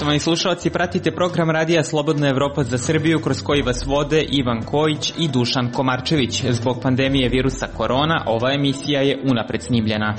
Poštovani slušalci, pratite program Radija Slobodna Evropa za Srbiju kroz koji vas vode Ivan Kojić i Dušan Komarčević. Zbog pandemije virusa korona, ova emisija je unapred snimljena.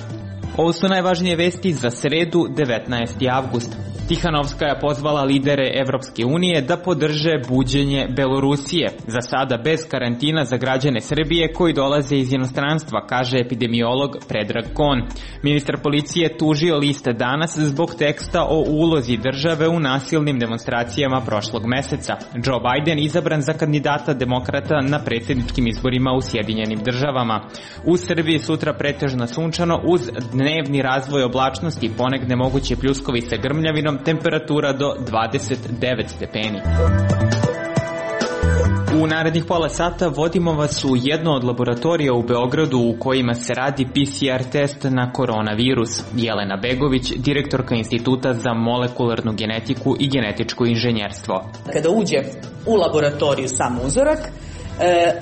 Ovo su najvažnije vesti za sredu, 19. avgust. Tihanovska je pozvala lidere Evropske unije da podrže buđenje Belorusije, za sada bez karantina za građane Srbije koji dolaze iz inostranstva, kaže epidemiolog Predrag Kon. Ministar policije tužio liste danas zbog teksta o ulozi države u nasilnim demonstracijama prošlog meseca. Joe Biden izabran za kandidata demokrata na predsjedničkim izborima u Sjedinjenim državama. U Srbiji sutra pretežno sunčano uz dnevni razvoj oblačnosti, ponegde moguće pljuskovi sa grmljavinom, temperatura do 29 stepeni. U narednih pola sata vodimo vas u jednu od laboratorija u Beogradu u kojima se radi PCR test na koronavirus. Jelena Begović, direktorka Instituta za molekularnu genetiku i genetičko inženjerstvo. Kada uđe u laboratoriju sam uzorak,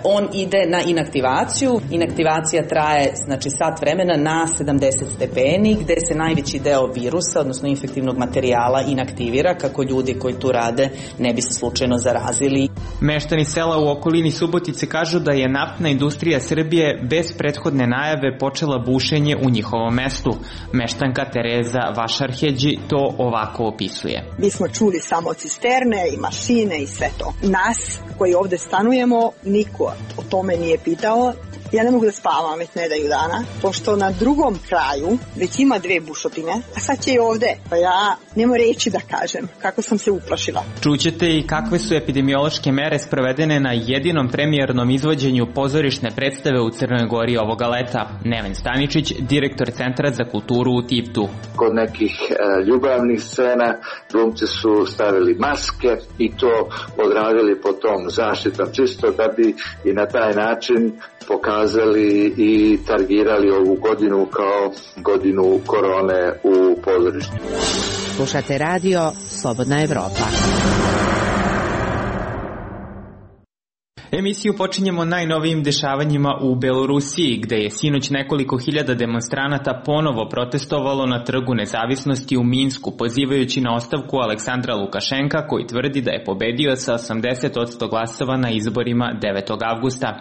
on ide na inaktivaciju. Inaktivacija traje sat vremena na 70 stepeni gde se najveći deo virusa, odnosno infektivnog materijala, inaktivira kako ljudi koji tu rade ne bi se slučajno zarazili. Meštani sela u okolini Subotice kažu da je naftna industrija Srbije bez prethodne najave počela bušenje u njihovom mestu. Meštanka Tereza Vašarheđi to ovako opisuje. Mi smo čuli samo cisterne i mašine i sve to. Nas koji ovde stanujemo niko o tome nije pitao. Ja ne mogu da spavam već nedelju dana, pošto na drugom kraju već ima 2 bušotine, a sad će i ovde. Pa ja nema reći da kažem kako sam se uplašila. Čućete i kakve su epidemiološke mere sprovedene na jedinom premijernom izvođenju pozorišne predstave u Crnoj Gori ovoga leta. Neven Staničić, direktor Centra za kulturu u Tivtu. Kod nekih ljubavnih scena glumci su stavili maske i to odradili po tom zaštitom, čisto da bi i na taj način pokazali i targirali ovu godinu kao godinu korone u pozorištu. Slušate radio Slobodna Evropa. Emisiju počinjemo najnovijim dešavanjima u Belorusiji, gde je sinoć nekoliko hiljada demonstranata ponovo protestovalo na Trgu nezavisnosti u Minsku, pozivajući na ostavku Aleksandra Lukašenka, koji tvrdi da je pobedio sa 80% glasova na izborima 9. avgusta.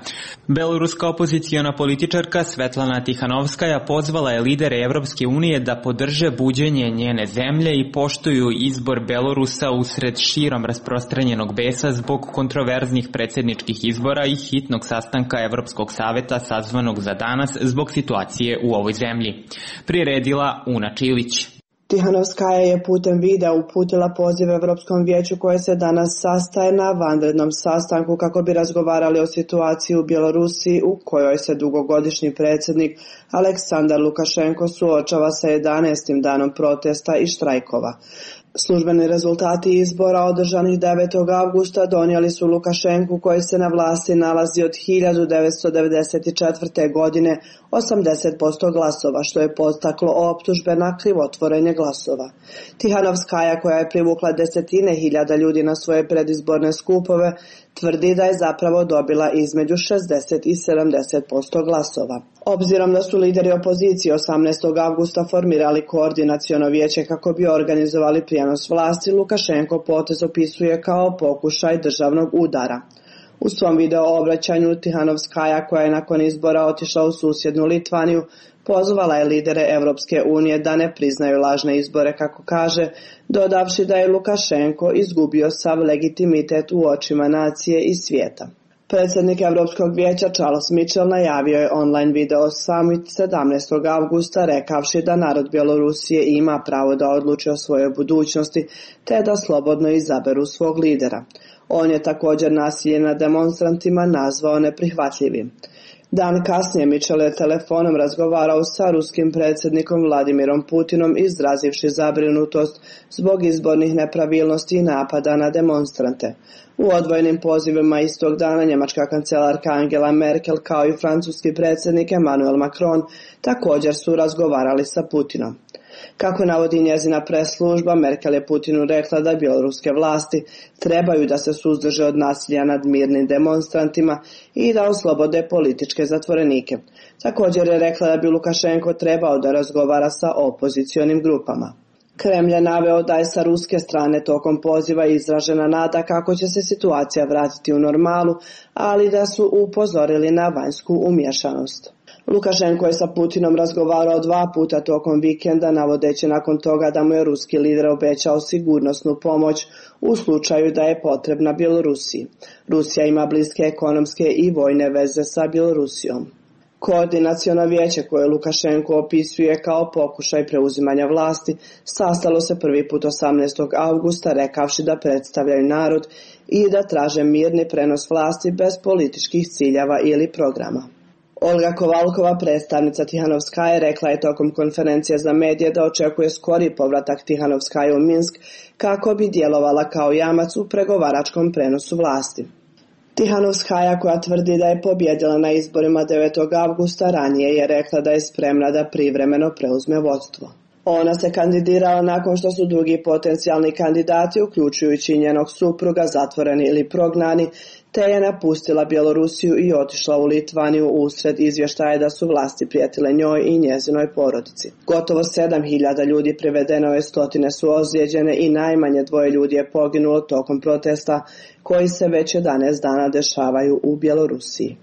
Beloruska opoziciona političarka Svetlana Tihanovskaja pozvala je lidere Evropske unije da podrže buđenje njene zemlje i poštuju izbor Belorusa usred širom rasprostranjenog besa zbog kontroverznih predsjedničkih izbora i hitnog sastanka Evropskog saveta sazvanog za danas zbog situacije u ovoj zemlji. Priredila Una Čilić. Tihanovskaja je putem videa uputila poziv Evropskom vijeću koje se danas sastaje na vanrednom sastanku kako bi razgovarali o situaciji u Bjelorusiji u kojoj se dugogodišnji predsjednik Aleksandar Lukašenko suočava sa 11. danom protesta i štrajkova. Službeni rezultati izbora održanih 9. avgusta donijeli su Lukašenku, koji se na vlasti nalazi od 1994. godine, 80% glasova, što je podstaklo optužbe na krivotvorenje glasova. Tihanovskaja, koja je privukla desetine hiljada ljudi na svoje predizborne skupove, tvrdi da je zapravo dobila između 60 i 70% glasova. Obzirom da su lideri opozicije 18. avgusta formirali koordinaciono vijeće kako bi organizovali prijenos vlasti, Lukašenko potez opisuje kao pokušaj državnog udara. U svom video obraćanju Tihanovskaja, koja je nakon izbora otišla u susjednu Litvaniju, pozvala je lidere Evropske unije da ne priznaju lažne izbore, kako kaže, dodavši da je Lukašenko izgubio sav legitimitet u očima nacije i svijeta. Predsjednik Evropskog vijeća Charles Michel najavio je online video summit 17. avgusta rekavši da narod Bjelorusije ima pravo da odluči o svojoj budućnosti te da slobodno izaberu svog lidera. On je također nasilje nad demonstrantima nazvao neprihvatljivim. Dan kasnije Michel je telefonom razgovarao sa ruskim predsjednikom Vladimirom Putinom, izrazivši zabrinutost zbog izbornih nepravilnosti i napada na demonstrante. U odvojenim pozivima istog dana njemačka kancelarka Angela Merkel kao i francuski predsjednik Emmanuel Macron također su razgovarali sa Putinom. Kako navodi njezina press-služba, Merkel je Putinu rekla da bjeloruske vlasti trebaju da se suzdrže od nasilja nad mirnim demonstrantima i da oslobode političke zatvorenike. Također je rekla da bi Lukašenko trebao da razgovara sa opozicionim grupama. Kremlj je naveo da je sa ruske strane tokom poziva izražena nada kako će se situacija vratiti u normalu, ali da su upozorili na vanjsku umješanost. Lukašenko je sa Putinom razgovarao 2 puta tokom vikenda, navodeći nakon toga da mu je ruski lider obećao sigurnosnu pomoć u slučaju da je potrebna Bjelorusiji. Rusija ima bliske ekonomske i vojne veze sa Bjelorusijom. Koordinaciono vijeće koje Lukašenko opisuje kao pokušaj preuzimanja vlasti sastalo se prvi put 18. augusta rekavši da predstavljaju narod i da traže mirni prenos vlasti bez političkih ciljeva ili programa. Olga Kovalkova, predstavnica Tihanovskaje, rekla je tokom konferencije za medije da očekuje skori povratak Tihanovskaje u Minsk kako bi djelovala kao jamac u pregovaračkom prenosu vlasti. Tihanovskaja, koja tvrdi da je pobjedila na izborima 9. avgusta, ranije je rekla da je spremna da privremeno preuzme vodstvo. Ona se kandidirala nakon što su drugi potencijalni kandidati, uključujući njenog supruga, zatvoreni ili prognani, te je napustila Bjelorusiju i otišla u Litvaniju usred izvještaja da su vlasti prijetile njoj i njezinoj porodici. Gotovo 7.000 ljudi privedeno je, stotine su ozlijeđene i najmanje 2 ljudi je poginulo tokom protesta koji se već 11 dana dešavaju u Bjelorusiji.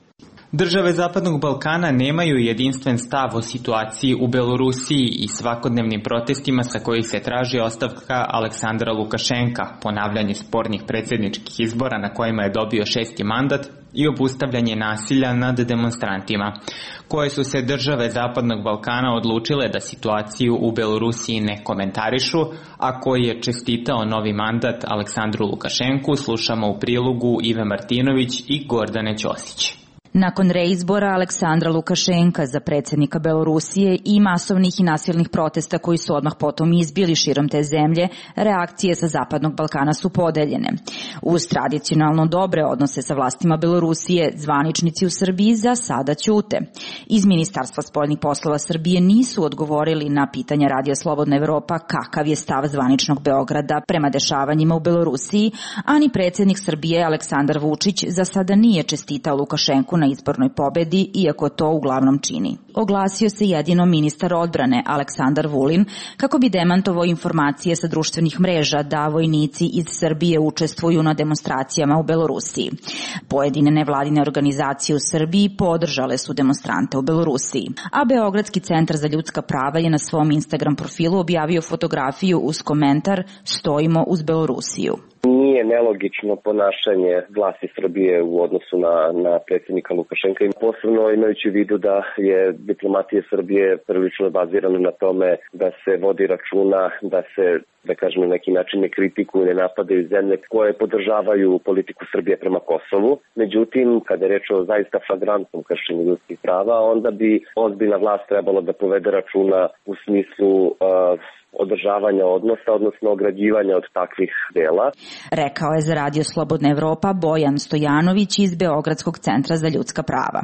Države Zapadnog Balkana nemaju jedinstven stav o situaciji u Belorusiji i svakodnevnim protestima sa kojih se traži ostavka Aleksandra Lukašenka, ponavljanje spornih predsjedničkih izbora na kojima je dobio 6. mandat i obustavljanje nasilja nad demonstrantima, koje su se države Zapadnog Balkana odlučile da situaciju u Belorusiji ne komentarišu, a koji je čestitao novi mandat Aleksandru Lukašenku, slušamo u prilogu Ive Martinović i Gordane Ćosić. Nakon reizbora Aleksandra Lukašenka za predsjednika Belorusije i masovnih i nasilnih protesta koji su odmah potom izbili širom te zemlje, reakcije sa Zapadnog Balkana su podeljene. Uz tradicionalno dobre odnose sa vlastima Belorusije, zvaničnici u Srbiji za sada ćute. Iz Ministarstva spoljnih poslova Srbije nisu odgovorili na pitanja Radija Slobodna Evropa kakav je stav zvaničnog Beograda prema dešavanjima u Belorusiji, a ni predsjednik Srbije Aleksandar Vučić za sada nije čestitao Lukašenku na izbornoj pobedi, iako to uglavnom čini. Oglasio se jedino ministar odbrane Aleksandar Vulin kako bi demantovao informacije sa društvenih mreža da vojnici iz Srbije učestvuju na demonstracijama u Belorusiji. Pojedine nevladine organizacije u Srbiji podržale su demonstrante u Belorusiji, a Beogradski centar za ljudska prava je na svom Instagram profilu objavio fotografiju uz komentar "Stojimo uz Belorusiju". Nije nelogično ponašanje vlasti Srbije u odnosu na predsjednika Lukašenka, i posebno imajući u vidu da je diplomatija Srbije prilično bazirana na tome da se vodi računa, da se, da kažem, na neki način ne kritikuju, ne napadaju zemlje koje podržavaju politiku Srbije prema Kosovu. Međutim, kada je reč o zaista flagrantnom kršenju ljudskih prava, onda bi ozbiljna vlast trebalo da povede računa u smislu održavanja odnosa, odnosno ograđivanja od takvih dela. Rekao je za Radio Slobodna Evropa Bojan Stojanović iz Beogradskog centra za ljudska prava.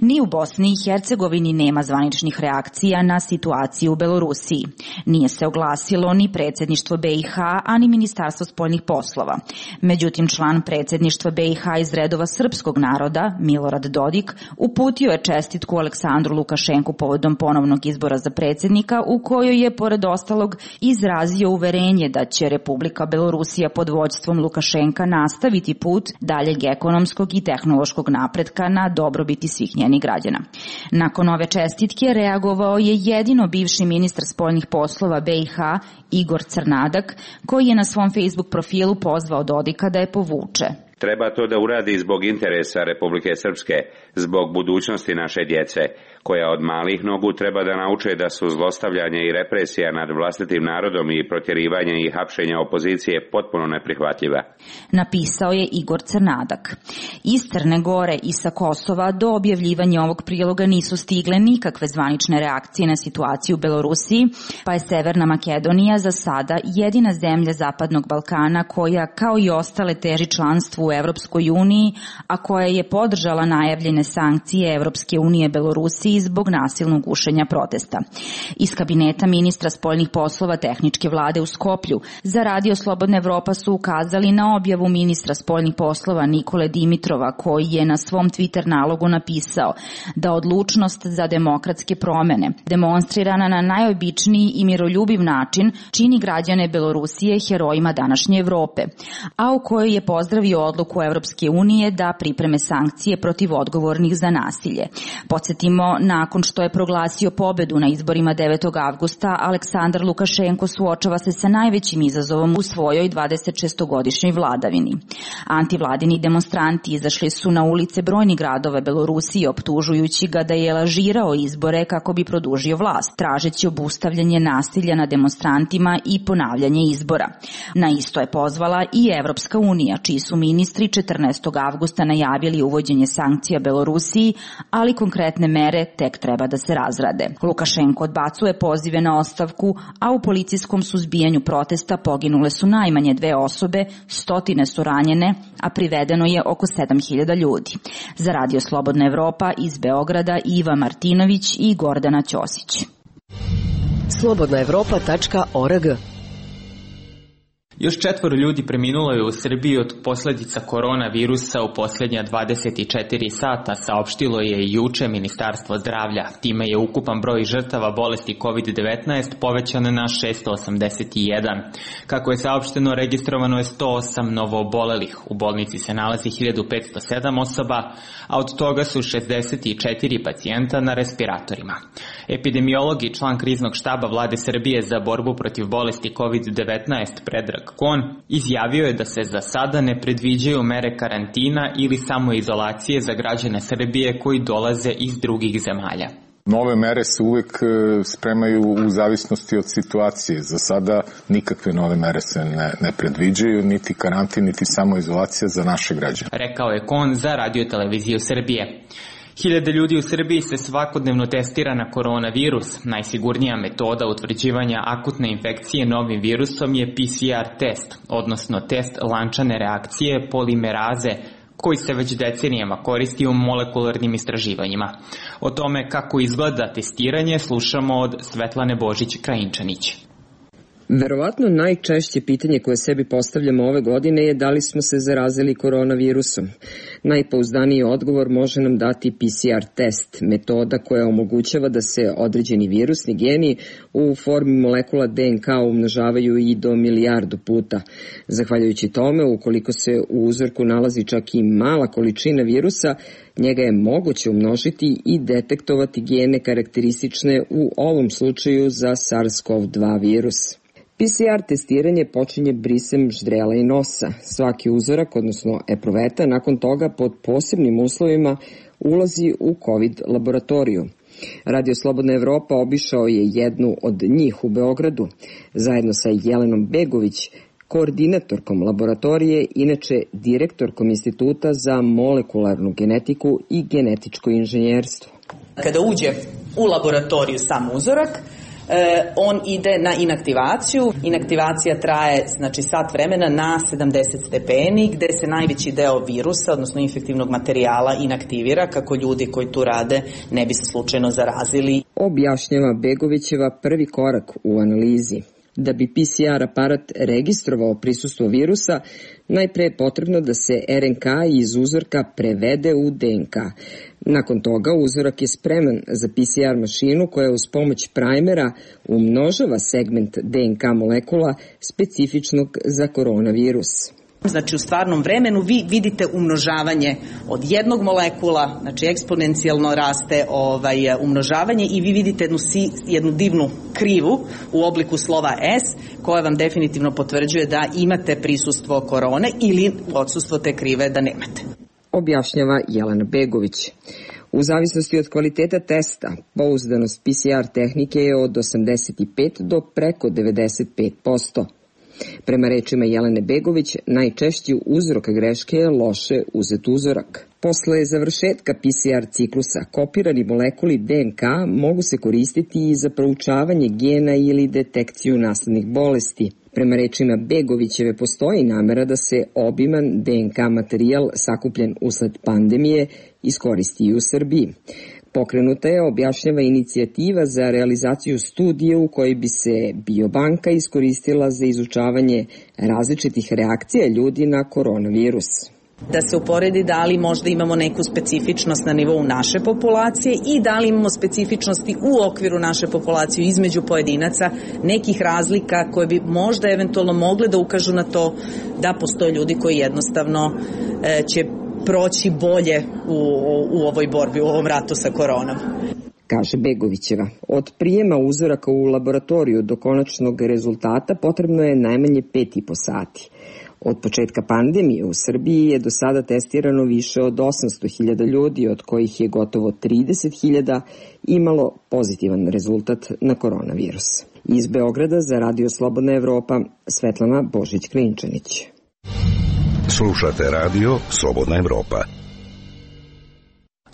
Ni u Bosni i Hercegovini nema zvaničnih reakcija na situaciju u Belorusiji. Nije se oglasilo ni predsjedništvo BiH, a ni Ministarstvo spoljnih poslova. Međutim, član predsjedništva BiH iz redova srpskog naroda, Milorad Dodik, uputio je čestitku Aleksandru Lukašenku povodom ponovnog izbora za predsjednika, u kojoj je, pored ostalog, izrazio uverenje da će Republika Belorusija pod vođstvom Lukašenka nastaviti put daljeg ekonomskog i tehnološkog napretka na dobrobiti svih njenih građana. Nakon ove čestitke reagovao je jedino bivši ministar spoljnih poslova BiH Igor Crnadak, koji je na svom Facebook profilu pozvao Dodika da je povuče. Treba to da uradi zbog interesa Republike Srpske, zbog budućnosti naše djece, koja od malih nogu treba da nauče da su zlostavljanje i represija nad vlastitim narodom i protjerivanje i hapšenja opozicije potpuno neprihvatljiva. Napisao je Igor Crnadak. Iz Crne Gore i sa Kosova do objavljivanja ovog priloga nisu stigle nikakve zvanične reakcije na situaciju u Belorusiji, pa je Severna Makedonija za sada jedina zemlja Zapadnog Balkana koja, kao i ostale, teži članstvu državu u Evropskoj uniji, a koja je podržala najavljene sankcije Evropske unije Belorusiji zbog nasilnog gušenja protesta. Iz kabineta ministra spoljnih poslova tehničke vlade u Skoplju za Radio Slobodna Evropa su ukazali na objavu ministra spoljnih poslova Nikole Dimitrova, koji je na svom Twitter nalogu napisao da odlučnost za demokratske promene, demonstrirana na najobičniji i miroljubiv način, čini građane Belorusije herojima današnje Evrope, a u kojoj je pozdravio odluku Evropske unije da pripreme sankcije protiv odgovornih za nasilje. Podsjetimo, nakon što je proglasio pobedu na izborima 9. avgusta, Aleksandar Lukašenko suočava se sa najvećim izazovom u svojoj 26-godišnjoj vladavini. Antivladini demonstranti izašli su na ulice brojnih gradova Belorusije optužujući ga da je lažirao izbore kako bi produžio vlast, tražeći obustavljanje nasilja na demonstrantima i ponavljanje izbora. Na isto je pozvala i Evropska unija, čiji su ministri 14. avgusta najavili uvođenje sankcija Belorusiji, ali konkretne mere tek treba da se razrade. Lukašenko odbacuje pozive na ostavku, a u policijskom suzbijanju protesta poginule su najmanje 2 osobe, stotine su ranjene, a privedeno je oko 7.000 ljudi. Za Radio Slobodna Evropa iz Beograda Iva Martinović i Gordana Ćosić. slobodnaevropa.org. Još 4 ljudi preminulo je u Srbiji od posledica koronavirusa u posljednja 24 sata, saopštilo je i juče Ministarstvo zdravlja. Time je ukupan broj žrtava bolesti COVID-19 povećan na 681. Kako je saopšteno, registrovano je 108 novoobolelih. U bolnici se nalazi 1507 osoba, a od toga su 64 pacijenta na respiratorima. Epidemiolog i član kriznog štaba Vlade Srbije za borbu protiv bolesti COVID-19 Predrag Kon izjavio je da se za sada ne predviđaju mere karantina ili samoizolacije za građane Srbije koji dolaze iz drugih zemalja. Nove mere se uvek spremaju u zavisnosti od situacije. Za sada nikakve nove mere se ne predviđaju, niti karantin, niti samoizolacija za naše građane. Rekao je Kon za Radio Televiziju Srbije. 1000 ljudi u Srbiji se svakodnevno testira na koronavirus. Najsigurnija metoda utvrđivanja akutne infekcije novim virusom je PCR test, odnosno test lančane reakcije polimeraze, koji se već decenijama koristi u molekularnim istraživanjima. O tome kako izgleda testiranje slušamo od Svetlane Božić-Krajinčanić. Verovatno najčešće pitanje koje sebi postavljamo ove godine je da li smo se zarazili koronavirusom. Najpouzdaniji odgovor može nam dati PCR test, metoda koja omogućava da se određeni virusni geni u formi molekula DNK umnožavaju i do 1.000.000 puta. Zahvaljujući tome, ukoliko se u uzorku nalazi čak i mala količina virusa, njega je moguće umnožiti i detektovati gene karakteristične u ovom slučaju za SARS-CoV-2 virus. PCR testiranje počinje brisem ždrela i nosa. Svaki uzorak, odnosno epruveta, nakon toga pod posebnim uslovima ulazi u COVID laboratoriju. Radio Slobodna Evropa obišao je jednu od njih u Beogradu, zajedno sa Jelenom Begović, koordinatorkom laboratorije, inače direktorkom Instituta za molekularnu genetiku i genetičko inženjerstvo. Kada uđe u laboratoriju sam uzorak, on ide na inaktivaciju. Inaktivacija traje sat vremena na 70 stepeni, gde se najveći deo virusa, odnosno infektivnog materijala, inaktivira kako ljudi koji tu rade ne bi se slučajno zarazili. Objašnjava Begovićeva prvi korak u analizi. Da bi PCR aparat registrovao prisustvo virusa, najpre je potrebno da se RNK iz uzorka prevede u DNK. Nakon toga uzorak je spreman za PCR mašinu koja uz pomoć primera umnožava segment DNK molekula specifičnog za koronavirus. Znači u stvarnom vremenu vi vidite umnožavanje od jednog molekula, znači eksponencijalno raste umnožavanje i vi vidite jednu divnu krivu u obliku slova S koja vam definitivno potvrđuje da imate prisustvo korone ili odsustvo te krive da nemate. Objašnjava Jelena Begović. U zavisnosti od kvaliteta testa, pouzdanost PCR tehnike je od 85 do preko 95%. Prema rečima Jelene Begović, najčešći uzrok greške je loše uzet uzorak. Posle završetka PCR ciklusa, kopirani molekuli DNK mogu se koristiti i za proučavanje gena ili detekciju naslednih bolesti. Prema rečima Begovićeve postoji namera da se obiman DNK materijal sakupljen usled pandemije iskoristi i u Srbiji. Pokrenuta je, objašnjava, inicijativa za realizaciju studije u kojoj bi se biobanka iskoristila za izučavanje različitih reakcija ljudi na koronavirus. Da se uporedi da li možda imamo neku specifičnost na nivou naše populacije i da li imamo specifičnosti u okviru naše populacije između pojedinaca, nekih razlika koje bi možda eventualno mogle da ukažu na to da postoje ljudi koji jednostavno će proći bolje u ovoj borbi, u ovom ratu sa koronom. Kaže Begovićeva. Od prijema uzoraka u laboratoriju do konačnog rezultata potrebno je najmanje 5,5 sati. Od početka pandemije u Srbiji je do sada testirano više od 800.000 ljudi, od kojih je gotovo 30.000 imalo pozitivan rezultat na koronavirus. Iz Beograda za Radio Slobodna Evropa, Svetlana Božić-Klinčanić. Slušate Radio Slobodna Evropa.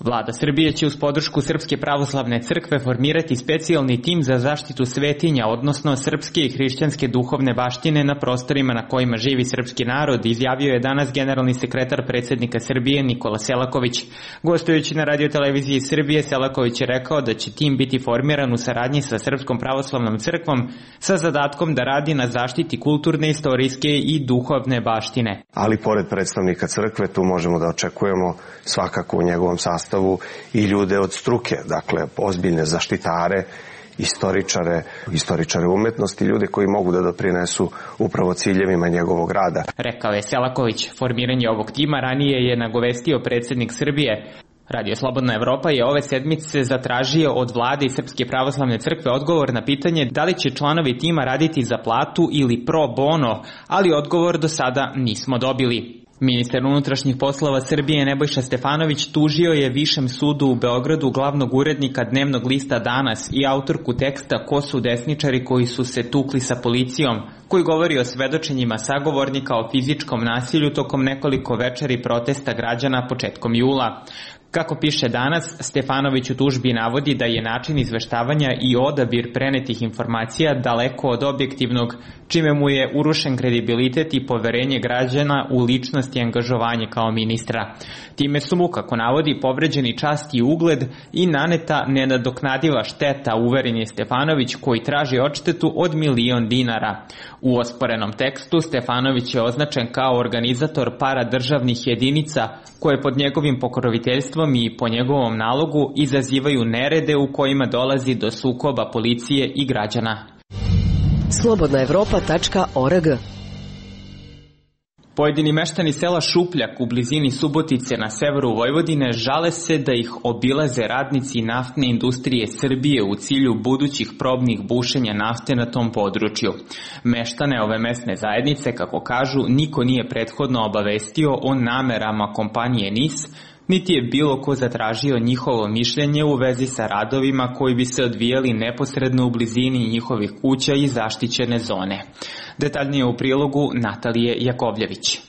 Vlada Srbije će uz podršku Srpske pravoslavne crkve formirati specijalni tim za zaštitu svetinja, odnosno srpske i hrišćanske duhovne baštine na prostorima na kojima živi srpski narod, izjavio je danas generalni sekretar predsjednika Srbije Nikola Selaković. Gostujući na radioteleviziji Srbije, Selaković je rekao da će tim biti formiran u saradnji sa Srpskom pravoslavnom crkvom sa zadatkom da radi na zaštiti kulturne, istorijske i duhovne baštine. Ali pored predstavnika crkve tu možemo da očekujemo svakako u njegovom sastavu i ljude od struke, dakle ozbiljne zaštitare, istoričare umetnosti, ljude koji mogu da doprinesu upravo ciljevima njegovog rada. Rekao je Selaković. Formiranje ovog tima ranije je nagovestio predsjednik Srbije. Radio Slobodna Evropa je ove sedmice zatražio od vlade i Srpske pravoslavne crkve odgovor na pitanje da li će članovi tima raditi za platu ili pro bono, ali odgovor do sada nismo dobili. Ministar unutrašnjih poslova Srbije Nebojša Stefanović tužio je Višem sudu u Beogradu glavnog urednika dnevnog lista Danas i autorku teksta Ko su desničari koji su se tukli sa policijom, koji govori o svedočenjima sagovornika o fizičkom nasilju tokom nekoliko večeri protesta građana početkom jula. Kako piše Danas, Stefanović u tužbi navodi da je način izveštavanja i odabir prenetih informacija daleko od objektivnog, čime mu je urušen kredibilitet i poverenje građana u ličnost i angažovanje kao ministra. Time su mu, kako navodi, povređeni čast i ugled i naneta nenadoknadiva šteta, uveren je Stefanović, koji traži odštetu od 1.000.000 dinara. U osporenom tekstu Stefanović je označen kao organizator paradržavnih jedinica koje pod njegovim pokroviteljstvom i po njegovom nalogu izazivaju nerede u kojima dolazi do sukoba policije i građana. slobodnaevropa.org. Pojedini meštani sela Šupljak u blizini Subotice na severu Vojvodine žale se da ih obilaze radnici naftne industrije Srbije u cilju budućih probnih bušenja nafte na tom području. Meštane ove mesne zajednice, kako kažu, niko nije prethodno obavestio o namerama kompanije NIS, niti je bilo ko zatražio njihovo mišljenje u vezi sa radovima koji bi se odvijali neposredno u blizini njihovih kuća i zaštićene zone. Detaljnije u prilogu Natalije Jakovljević.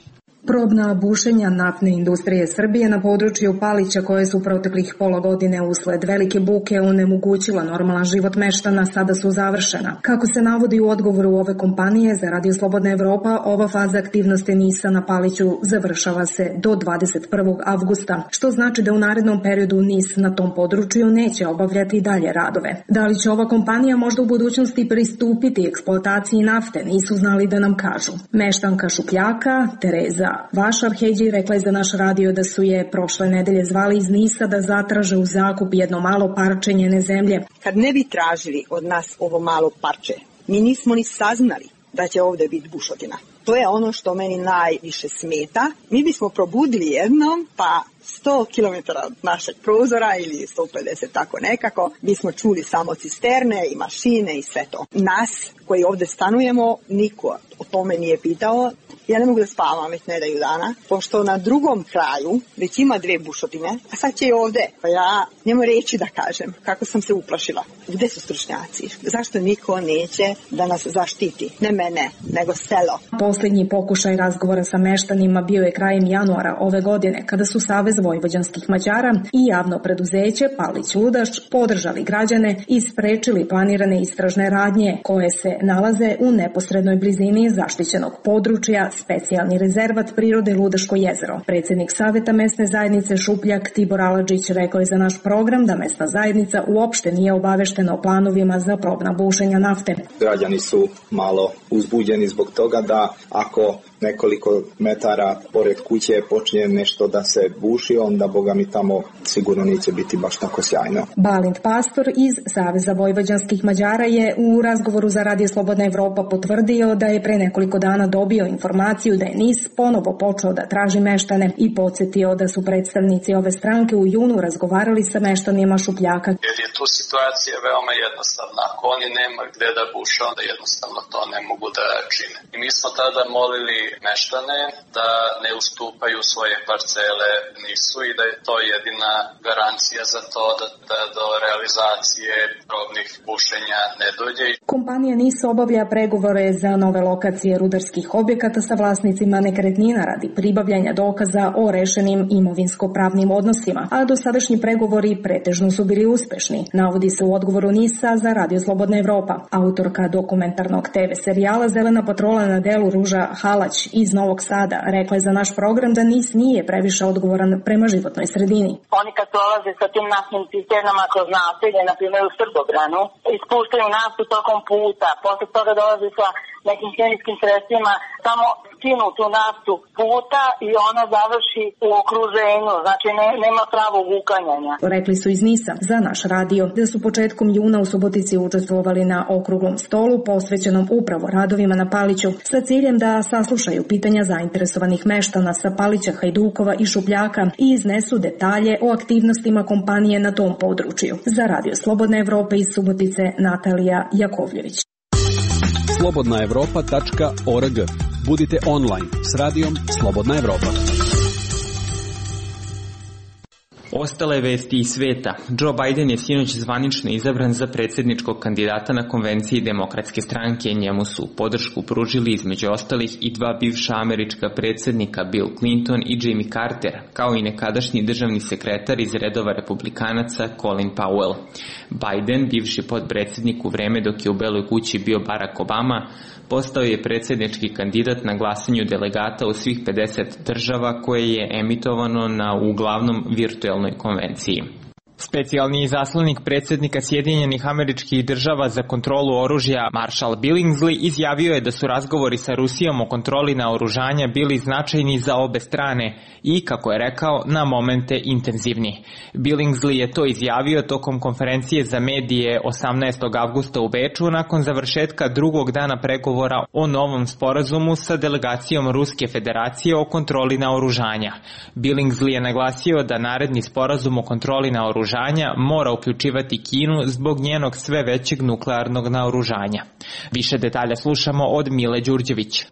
Probna bušenja naftne industrije Srbije na području Palića, koje su proteklih pola godine usled velike buke onemogućila normalan život meštana, sada su završena. Kako se navodi u odgovoru ove kompanije za Radio Slobodna Evropa, ova faza aktivnosti NIS-a na Paliću završava se do 21. avgusta, što znači da u narednom periodu NIS na tom području neće obavljati dalje radove. Da li će ova kompanija možda u budućnosti pristupiti eksploataciji nafte, nisu znali da nam kažu. Meštanka Šupljaka, Tereza Vašar Hedži, rekla je za naš radio da su je prošle nedelje zvali iz NIS-a da zatraže u zakup jedno malo parče njene zemlje. Kad ne bi tražili od nas ovo malo parče, mi nismo ni saznali da će ovde biti bušotina. To je ono što meni najviše smeta. Mi bismo probudili jednom, pa 100 km od našeg prozora ili 150, tako nekako, bismo čuli samo cisterne i mašine i sve to. Nas koji ovde stanujemo, niko o o tome nije pitao. Ja ne mogu da spavam već nedelju dana, pošto na drugom kraju već ima 2 bušotine, a sad će i ovde. Pa ja njemu reći da kažem kako sam se uplašila. Gde su stručnjaci? Zašto niko neće da nas zaštiti? Ne mene, nego selo. Poslednji pokušaj razgovora sa meštanima bio je krajem januara ove godine, kada su Savez vojvođanskih Mađara i javno preduzeće Palić Ludaš podržali građane i sprečili planirane istražne radnje koje se nalaze u neposrednoj blizini zaštićenog područja specijalni rezervat prirode Ludaško jezero. Predsednik Saveta mesne zajednice Šupljak Tibor Aladžić rekao je za naš program da mesna zajednica uopšte nije obaveštena o planovima za probna bušenja nafte. Građani su malo uzbuđeni zbog toga da ako nekoliko metara pored kuće počinje nešto da se buši, onda boga mi tamo sigurno neće biti baš tako sjajno. Balint Pastor iz Saveza vojvođanskih Mađara je u razgovoru za Radio Slobodna Evropa potvrdio da je pre nekoliko dana dobio informaciju da je NIS ponovo počeo da traži meštane i podsjetio da su predstavnici ove stranke u junu razgovarali sa meštanima Šupljaka. Jer je tu situacija veoma jednostavna. Ako oni nema gde da buše, onda jednostavno to ne mogu da čine. I mi smo tada molili meštane da ne ustupaju svoje parcele NIS-u i da je to jedina garancija za to da do realizacije probnih bušenja ne dođe. Kompanija NIS obavlja pregovore za nove lokacije rudarskih objekata sa vlasnicima nekretnina radi pribavljanja dokaza o rešenim imovinsko-pravnim odnosima, a dosadašnji pregovori pretežno su bili uspešni, navodi se u odgovoru NIS-a za Radio Slobodna Evropa. Autorka dokumentarnog TV serijala Zelena patrola na delu Ruža Halać iz Novog Sada rekla je za naš program da NIS nije previše odgovoran prema životnoj sredini. Oni kad prolaze sa tim naftnim cisternama kroz naselje, na primjer u Srbobranu, ispuštaju naftu tokom puta, posle toga dolaze sa nekim hemijskim sredstvima, samo skinu tu naftu puta i ona završi u okruženju, znači nema pravog uklanjanja. Rekli su iz NIS-a za naš radio da su početkom juna u Subotici učestvovali na okruglom stolu posvećenom upravo radovima na Paliću sa ciljem da saslušaju pitanja zainteresovanih meštana sa Palića, Hajdukova i Šupljaka i iznesu detalje o aktivnostima kompanije na tom području. Za Radio Slobodna Evropa iz Subotice Natalija Jakovljević. slobodnaevropa.org. Budite online s radijom Slobodna Evropa. Ostale vesti iz sveta. Joe Biden je sinoć zvanično izabran za predsjedničkog kandidata na konvenciji Demokratske stranke. Njemu su podršku pružili između ostalih i 2 bivša američka predsjednika Bill Clinton i Jimmy Carter, kao i nekadašnji državni sekretar iz redova republikanaca Colin Powell. Biden, bivši potpredsjednik u vreme dok je u Beloj kući bio Barack Obama, postao je predsjednički kandidat na glasanju delegata u svih 50 država koje je emitovano na uglavnom virtuelnoj konvenciji. Specijalni izaslanik predsjednika Sjedinjenih Američkih Država za kontrolu oružja Marshall Billingsley izjavio je da su razgovori sa Rusijom o kontroli naoružanja bili značajni za obe strane i, kako je rekao, na momente intenzivni. Billingsley je to izjavio tokom konferencije za medije 18. avgusta u Beču nakon završetka drugog dana pregovora o novom sporazumu sa delegacijom Ruske federacije o kontroli naoružanja. Billingsley je naglasio da naredni sporazum o kontroli naoružanja mora uključivati Kinu zbog njenog sve većeg nuklearnog naoružanja. Više detalja slušamo od Mile Đurđević.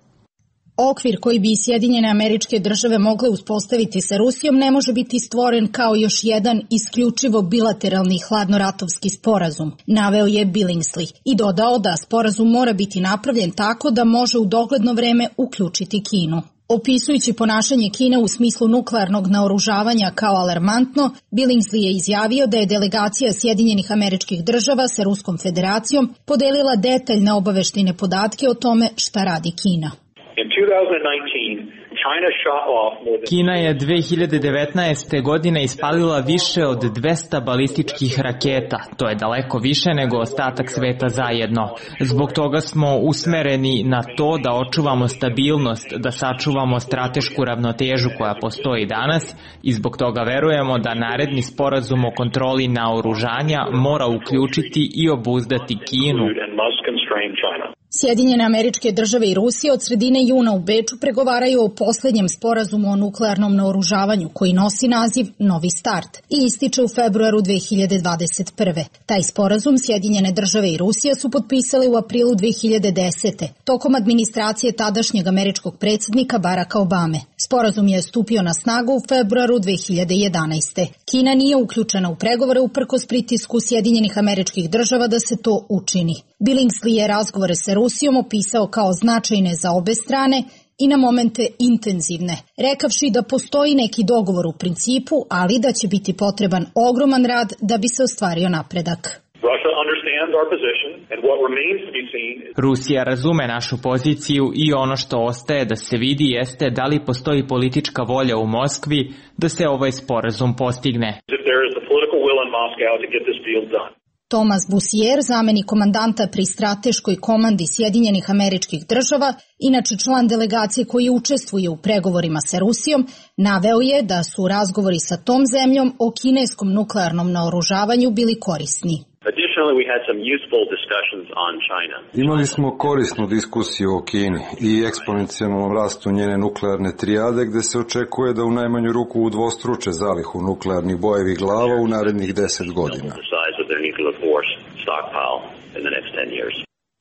Okvir koji bi Sjedinjene Američke Države mogle uspostaviti sa Rusijom ne može biti stvoren kao još jedan isključivo bilateralni hladnoratovski sporazum, naveo je Billingsley i dodao da sporazum mora biti napravljen tako da može u dogledno vreme uključiti Kinu. Opisujući ponašanje Kine u smislu nuklearnog naoružavanja kao alarmantno, Billingsley je izjavio da je delegacija Sjedinjenih Američkih Država sa Ruskom federacijom podelila detaljne obaveštine podatke o tome šta radi Kina. Kina je 2019. godine ispalila više od 200 balističkih raketa. To je daleko više nego ostatak sveta zajedno. Zbog toga smo usmereni na to da očuvamo stabilnost, da sačuvamo stratešku ravnotežu koja postoji danas i zbog toga verujemo da naredni sporazum o kontroli naoružanja mora uključiti i obuzdati Kinu. Sjedinjene Američke Države i Rusija od sredine juna u Beču pregovaraju o poslednjem sporazumu o nuklearnom naoružavanju koji nosi naziv Novi start i ističe u februaru 2021. Taj sporazum Sjedinjene Države i Rusija su potpisali u aprilu 2010. tokom administracije tadašnjeg američkog predsjednika Baracka Obame. Sporazum je stupio na snagu u februaru 2011. Kina nije uključena u pregovore uprkos pritisku Sjedinjenih Američkih Država da se to učini. Billingsley je razgovore sa Rusijom opisao kao značajne za obe strane i na momente intenzivne, rekavši da postoji neki dogovor u principu, ali da će biti potreban ogroman rad da bi se ostvario napredak. Rusija razume našu poziciju i ono što ostaje da se vidi jeste da li postoji politička volja u Moskvi da se ovaj sporazum postigne. Thomas Bussier, zamenik komandanta pri strateškoj komandi Sjedinjenih Američkih Država, inače član delegacije koji učestvuje u pregovorima sa Rusijom, naveo je da su razgovori sa tom zemljom o kineskom nuklearnom naoružavanju bili korisni. Imali smo korisnu diskusiju o Kini i eksponencijalnom rastu njene nuklearne trijade, gde se očekuje da u najmanju ruku udvostruče zalihu nuklearnih bojevih glava u narednih 10 godina.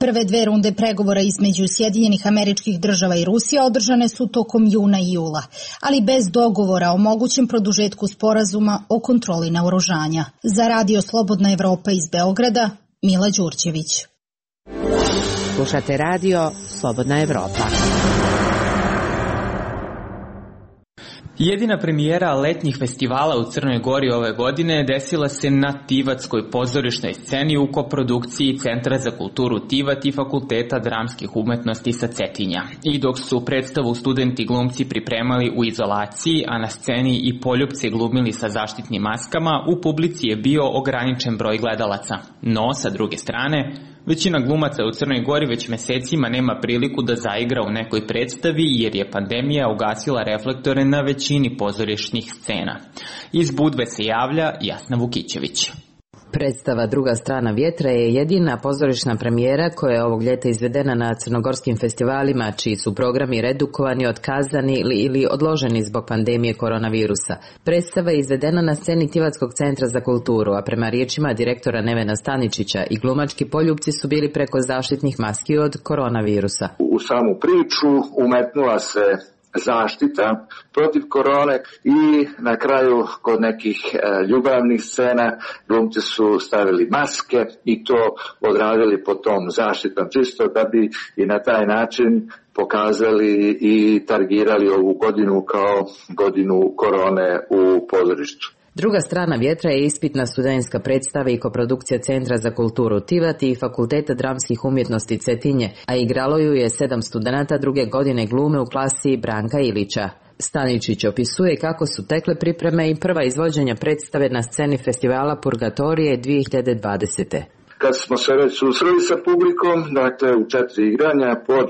Prve dve runde pregovora između Sjedinjenih Američkih Država i Rusije održane su tokom juna i jula, ali bez dogovora o mogućem produžetku sporazuma o kontroli naoružanja. Za Radio Slobodna Evropa iz Beograda, Mila Đurđević. Slušate Radio Slobodna Evropa. Jedina premijera letnjih festivala u Crnoj Gori ove godine desila se na Tivatskoj pozorišnoj sceni u koprodukciji Centra za kulturu Tivat i Fakulteta dramskih umetnosti sa Cetinja. I dok su predstavu studenti glumci pripremali u izolaciji, a na sceni i poljupci glumili sa zaštitnim maskama, u publici je bio ograničen broj gledalaca. No, sa druge strane, većina glumaca u Crnoj Gori već mesecima nema priliku da zaigra u nekoj predstavi jer je pandemija ugasila reflektore na većini pozorišnih scena. Iz Budve se javlja Jasna Vukićević. Predstava Druga strana vjetra je jedina pozorišna premijera koja je ovog ljeta izvedena na crnogorskim festivalima, čiji su programi redukovani, otkazani ili odloženi zbog pandemije koronavirusa. Predstava je izvedena na sceni Tivatskog centra za kulturu, a prema riječima direktora Nevena Staničića i glumački poljupci su bili preko zaštitnih maski od koronavirusa. U samu priču umetnula se zaštita protiv korone i na kraju kod nekih ljubavnih scena glumci su stavili maske i to odradili po tom zaštitnom čisto da bi i na taj način pokazali i targirali ovu godinu kao godinu korone u pozorištu. Druga strana vjetra je ispitna studentska predstava i koprodukcija Centra za kulturu Tivat i Fakulteta dramskih umjetnosti Cetinje, a igralo ju je 7 studenata druge godine glume u klasi Branka Ilića. Staničić opisuje kako su tekle pripreme i prva izvođenja predstave na sceni festivala Purgatorije 2020. Kad smo se već susreli sa publikom, dakle u 4 igranja pod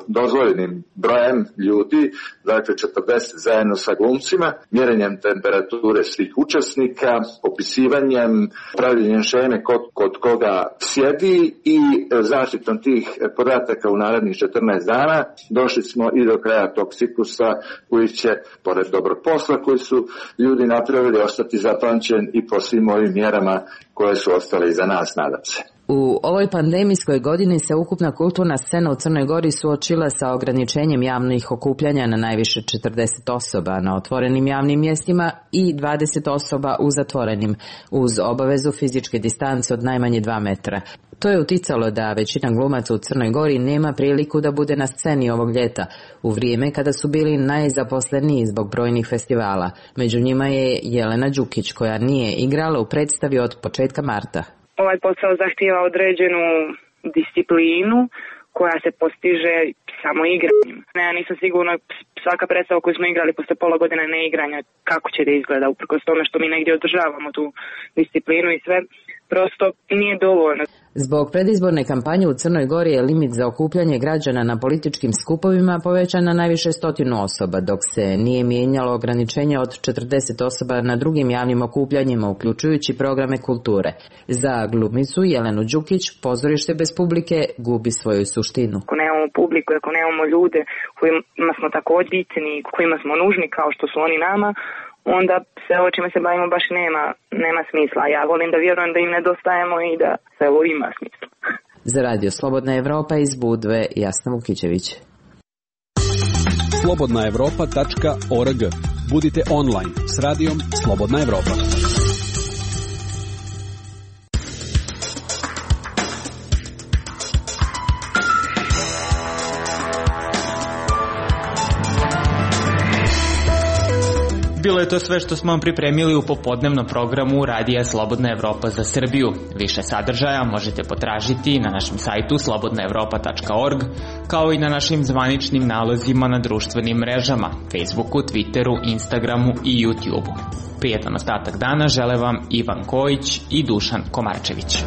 dozvoljenim brojem ljudi, dakle 40 zajedno sa glumcima, mjerenjem temperature svih učesnika, opisivanjem, pravljenjem šeme kod koga sjedi i zaštitom tih podataka u narednih 14 dana, došli smo i do kraja tog ciklusa koji će, pored dobrog posla koji su ljudi napravili, ostati zapamćen i po svim ovim mjerama koje su ostale iza nas, nadam se. U ovoj pandemijskoj godini se ukupna kulturna scena u Crnoj Gori suočila sa ograničenjem javnih okupljanja na najviše 40 osoba na otvorenim javnim mjestima i 20 osoba u zatvorenim, uz obavezu fizičke distance od najmanje 2 metra. To je uticalo da većina glumaca u Crnoj Gori nema priliku da bude na sceni ovog ljeta, u vrijeme kada su bili najzaposleniji zbog brojnih festivala. Među njima je Jelena Đukić, koja nije igrala u predstavi od početka marta. Ovaj posao zahtijeva određenu disciplinu koja se postiže samo igranjem. Ja nisam sigurna, svaka predstava koju smo igrali posle pola godine neigranja, kako će da izgleda, uprkos tome što mi negdje održavamo tu disciplinu i sve. prosto nije dovoljno. Zbog predizborne kampanje u Crnoj Gori je limit za okupljanje građana na političkim skupovima povećan na najviše 100 osoba, dok se nije mijenjalo ograničenje od 40 osoba na drugim javnim okupljanjima, uključujući programe kulture. Za glumicu Jelenu Đukić pozorište bez publike gubi svoju suštinu. Ako nemamo publiku, ako nemamo ljude kojima smo također bitni, kojima smo nužni kao što su oni nama, onda sve ovo čime se bavimo baš nema smisla. Ja volim da vjerujem da im nedostajemo i da sve ovo ima smisla. Za Radio Slobodna Evropa iz Budve, Jasna Vukićević. slobodnaevropa.org. Budite online s radijom Slobodna Evropa. Bilo je to sve što smo vam pripremili u popodnevnom programu Radija Slobodna Evropa za Srbiju. Više sadržaja možete potražiti na našem sajtu slobodnaevropa.org, kao i na našim zvaničnim nalozima na društvenim mrežama, Facebooku, Twitteru, Instagramu i YouTubeu. Prijetan ostatak dana žele vam Ivan Kojić i Dušan Komarčević.